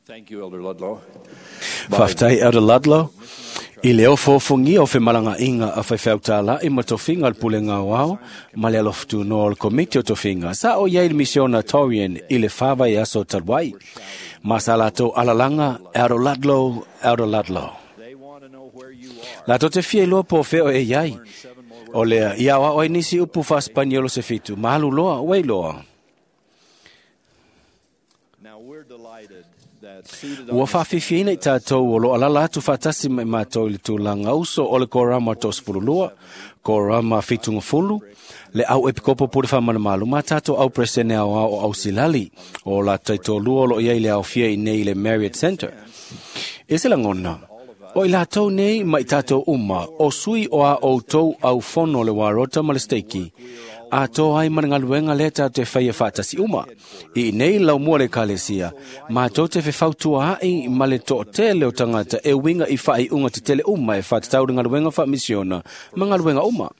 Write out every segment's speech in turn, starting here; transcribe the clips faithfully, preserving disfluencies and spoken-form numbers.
Thank you, Elder Ludlow. Faafetai Elder Ludlow. I le ofofogia o femalagaaiga a faifeau tālai ma tofiga o le pulega aoao ma le alofutunoa o le komiti o tofiga sa o i ai le misiona Torian i le fa vaiaso talu ai. Ma sa latou alalaga Elder Ludlow, Elder Ludlow. They want to know where you are. Latou te fia iloa po o fea o e i ai. O lea, ia aoao ai nisi upu faasepaniolo se fitu, ma alu loa, uei loa. Now we're delighted that seated Ua on the faafiafiaina i tatou o lo alala atu faatasi mai matou i le tulaga uso o le korama toasefululua, korama fitugafulu, le au epikopo pule faamanamalu ma tatou au peresetene aoao o Ausilali, o latou taitolua o lo o i ai le aofia i nei i le Marriott Centre. I se lagona, o i latou nei ma i tatou uma, o sui o a outou au fono le warota ma le steiki, a tō ai ma le galuega lea tatou te faia faatasi uma. I nei laumua le ekalesia, matou te fefautua ai ma le toatele o tagata e uiga i faaiuga tetele uma e faatatau le galuega faamisiona ma galuega uma.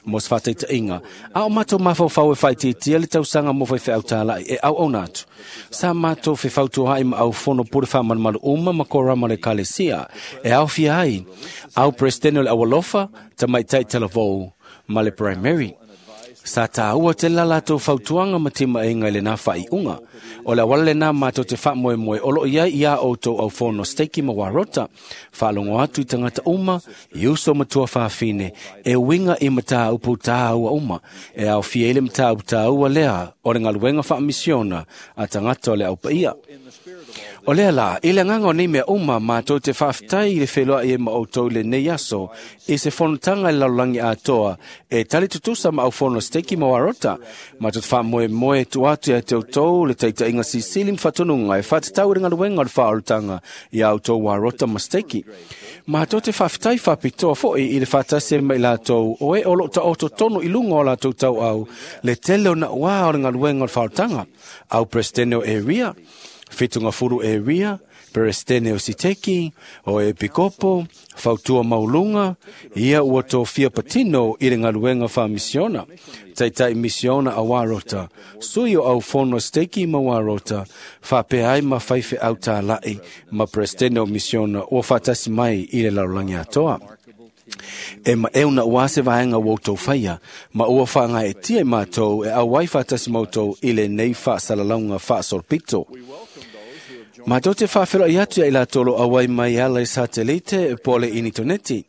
Mo se faataitaiga, a o matou mafaufau e faaitiitia le tausaga mo faifeau tālai e auauna atu. Sa matou fefautua ai ma au fono pule faamalumalu uma ma korama o le ekalesia e aofia ai au peresetene o le aualofa, tamaitai talavou ma le primary. Sa tāua tele la latou fautuaga ma timaega i lenā faaiuga. O le auala lenā matou te faamoemoe o loo i ai iā outou aufono steiki ma warota. Faalogo atu i tagata uma, i uso ma tuafafine, e uiga i mataupu tāua uma. E aofia ai le mataupu tāua lea o le galuega faamisiona a tagata o le aupaia. O lea la, i le agaga o nei mea uma, matou te faafetai i le feloai ai ma outou i lenei aso, i se fonotaga i le lalolagi atoa, e tali tutusa ma aufono steiki ma warota. Matou te faamoemoe tuu atu ia te outou le taitaiga silisili ma faatonuga e faatatau i le galuega o le faaolataga ia outou warota ma steiki. Matou te faafetai faapitoa foi i le faatasi ai ma i latou o e o loo taoto tonu i luga o latou tauau le tele o nauā o le galuega o le faaolataga. Au peresetene o area, Fitungafulu area, peresetene o Siteki, o Epikopo, fautua mauluga, ia ua tofia patino i le galuega faamisiona. Taitai misiona a Warota, sui o au fono steiki ma Warota, faapea ai ma faifeau tālai ma peresetene o misiona ua faatasi mai i le lalolagi atoa. E ma e una ua se vaega ua outou faia, ma ua faagaeetia i matou e auai faatasi ma outou i lenei faasalalauga faasolopito. Matou te faafeloai atu ia i latou o lo o auai mai e ala i satelite po o le initoneti.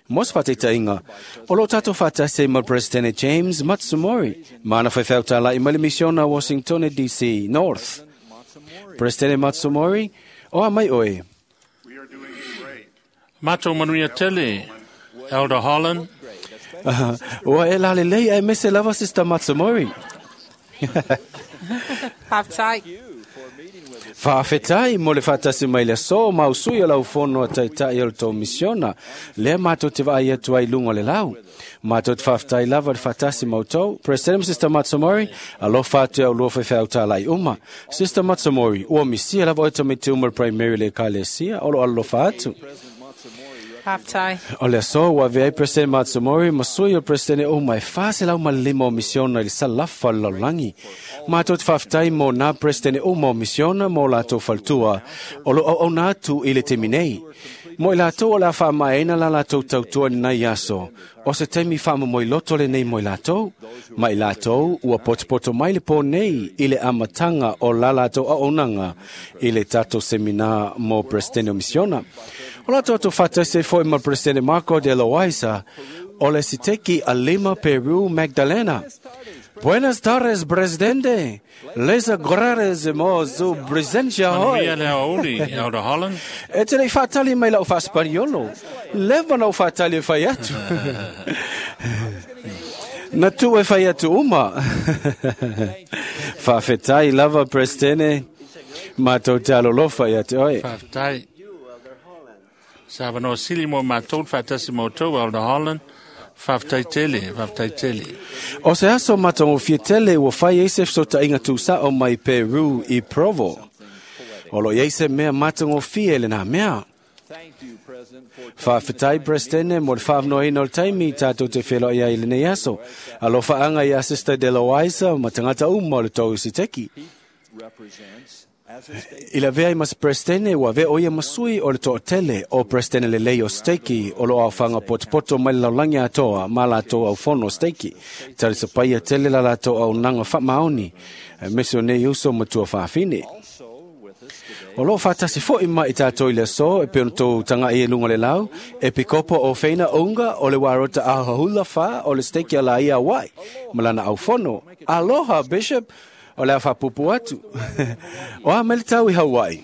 Mo se faataitaiga, o loo tatou faatasi ai ma le Peresetene James Matsumori, ma ana faifeau tālai mai le misiona Washington D C North. Peresetene Matsumori, o a mai oe. We are doing great. Matou manuia tele, Elder Holland. Ua e lalelei aemaise lava Sister Matsumori. Faafetai. Faafetai mo le faatasi mai le aso ma usui o lau fono a taitai o le tou misiona. Lea matou te vaai atu ai i luga o le lau. Matou te faafetai lava le faatasi ma outou. President Sister Matsumori, alofa atu i au lua faifeau tālai uma. Sister Matsumori, ua misia lava oe tamaiti uma le primary le ekalesia o lo alolofa atu. Faafetai. O le aso ua avea ai President Matsumori ma sui o President uma e fa selau ma le lima o misiona i le salafa o le lalolagi. Matou te faafetai mo nā President uma o misiona mo latou faletua o lo auauna atu i le taimi nei. Mo i latou o le a faamaeaina la latou tautua i lenei aso, o se taimi faamomoiloto lenei mo i latou. Ma i latou ua potopoto mai le pō nei i le amataga o la latou auaunaga i le tatou semina mo President o misiona. O latou atu faatasi ai foi ma President Marco de Loaiza o le Siteki a Lima, Peru, Magdalena. Buenas tardes, Presidente. Les agradecemos su presencia Manuia hoy. le aoauli, Elder Holland. E te lei faatali mai lau faasepaniolo. Leva na ou faatali e fai atu. Na tuu e fai atu uma. Faafetai lava, Presidente. Matou te alolofa ia te oe. Faafetai. Sa avanoa sili mo matou le faatasi ma outou, Elder Holland. Faafetai tele, faafetai tele. O se aso matagofie tele ua fai ai se fesootaiga tuusao mai Peru i Provo. O lo o i ai se mea matagofie i lenā mea. Thank you, President, for Faafetai Presidente mo le faavanoaina o le taimi tatou te feloai ai i lenei aso. Alofaaga ia Sister De Loaiza ma tagata uma o le tou Siteki. Represents I la vea i mas presidente ua vea o ia masui o le to'atele o presidente lelei o steiki o lo aofaga potopoto mai le lalolagi atoa ma latou aufono o steiki. Talisapaia tele la latou auaunaga faamaoni aemaise o nei uso ma tuafafine. O loo faatasi fo'i ma i tatou i le aso e pei ona tou taga'i e luga o le lau, e pikopo o Feina Unga o le Warota Ahahula Fa o le steiki a Laia Hawaii ma lana aufono. Aloha, Bishop! O le a faapupu atu. O a mai le tau i Hawaii?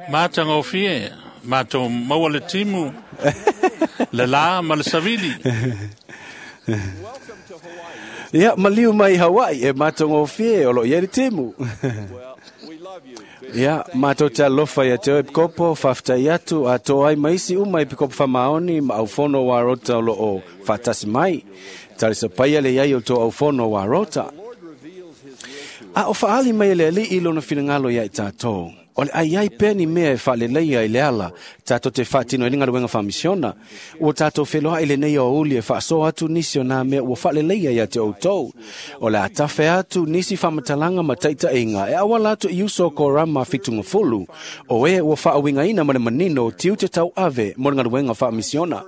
Matagofie, matou maua le timu, le la ma le savili. Ia, maliu mai i Hawaii e matagofie o loo i ai le timu. Ia, matou te alofa ia te oe Pikopo, faafetai atu atoa ai ma isi uma i Pikopo faamaoni ma aufono o Arota o loo faatasi mai. Talisapaia le iai o tō aufono o Arota. A o faali mai e le Alii lona finagalo ia i tātou. O le ai ai pea ni mea e faaleleia i le ala, tātou te faatino ai le galuega faamisiona. Ua tātou feloai lenei aoauli e faasoa atu nisi o nā mea ua faaleleia ia te outou. O le a tafe atu nisi faamatalaga ma taitaiga e auala atu i uso o Korama fitugafulu, o e ua faauigaina ma le manino tiute tauave mo le galuega faamisiona.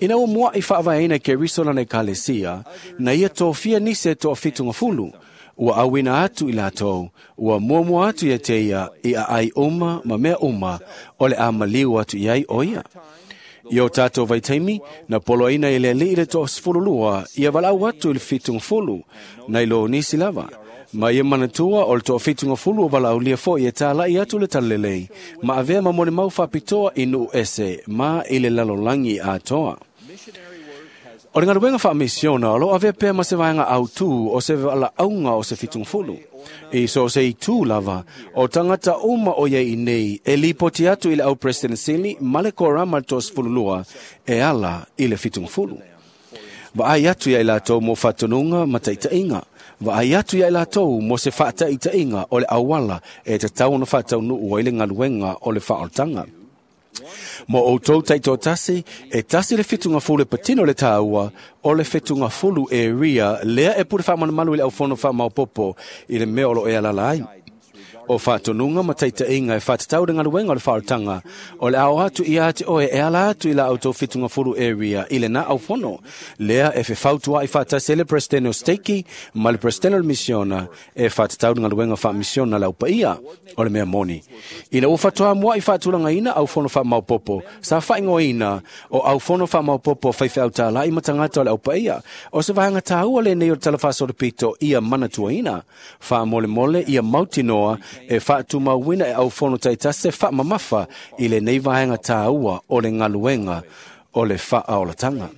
Ina ua mua'i faavaeina e Keriso lana ekalesia, na ia tofia nisi e toafitugafulu, ua auina atu i latou, ua muamua atu ia te ia i aai uma ma mea uma o le a maliu atu i ai o ia. I o tātou vaitaimi, na poloaina e le Alii le toasefululua ia valaau atu i le fitugafulu, nai lo nisi lava. Ma ia manatua o le toafitugafulu o valaaulia fo'i e tāla'i atu le talalelei, ma avea ma molimau faapitoa i nuu ese ma i le lalolagi atoa. O le galuega faamisiona o loo avea pea ma se vaega autū o se valaauga o se fitugafulu. I so o se itū lava, o tagata uma o iai i nei e lipoti atu i le au President Sili ma le Korama le toasefululua e ala i le fitugafulu. Vaai atu ia i latou mo faatonuga ma taitaiga. Vaai atu ia i latou mo se faataitaiga o le auala e tatau ona faataunuu ai le galuega o le faaolataga. Mo outou taitoatasi, e tasi le fitugafulu e patino le tāua, o le fitugafulu e ria, lea e pule faamalumalu i le aufono faamaopopo i le mea o loo e alaala ai. O faatonuga ma taitaiga e faatatau le galuega o le faaolataga, o le ao atu ia te oe e ala atu i la outou fitugafulu e ria i lena aufono, lea e fefautua'i faatasi ai le presidente o steiki ma le presidente o le misiona e faatatau le galuega faamisiona le aupaia o le mea moni. Ina ua faatoa mua'i faatulagaina aufono faamaopopo, sa faaigoaina o aufono faamaopopo faifeau tāla'i ma tagata o le aupaia, o se vaega tāua lenei o le tala faasolopito ia manatuaina. Faamolemole ia mautinoa e faatumauina e aufono taitasi se faamamafa i lenei vaega tāua o le galuega o le faaolataga.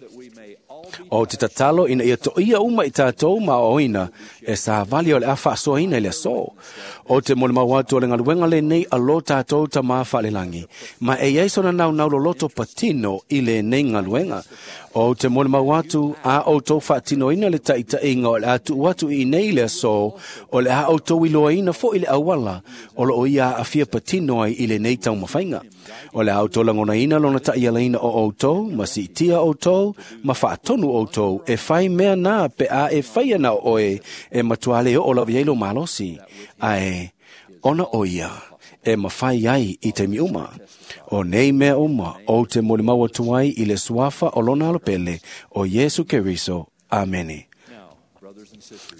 O te tatalo ina ia toia uma i tātou ma aoaoina e savali o le a faasoaina i le aso. O te molimau atu o le galuega lenei a lo tātou tamā faalelagi, ma e iai sona naunau loloto patino i lenei galuega. O te molimau atu a outou faatinoina le taitaiga o le a tuu atu i nei le aso, o le a outou iloaina fo'i le auala o loo ia aafia patino ai i lenei taumafaiga. O le a outou lagonaina lona ta'ialaina o outou, ma siitia outou, ma faatonu outou e fai mea na pe a e faia na o oe e matua le oo lava i ai lou malosi, ae ona o ia e mafai ai i taimi uma. O nei mea uma ou te molimau atu ai i le suafa o lona alopele o Iesu Keriso. Amene.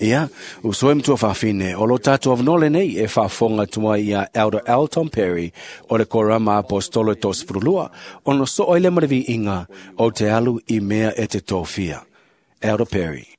Ia, uso e matua fafine, o lo tātou avanoa lenei e faafofoga atu ai ia Elder L. Tom Perry o le Korama Apostolo e toasefululua, ona soo ai le ma le viiga o te alu i mea e te tofia. Elder Perry.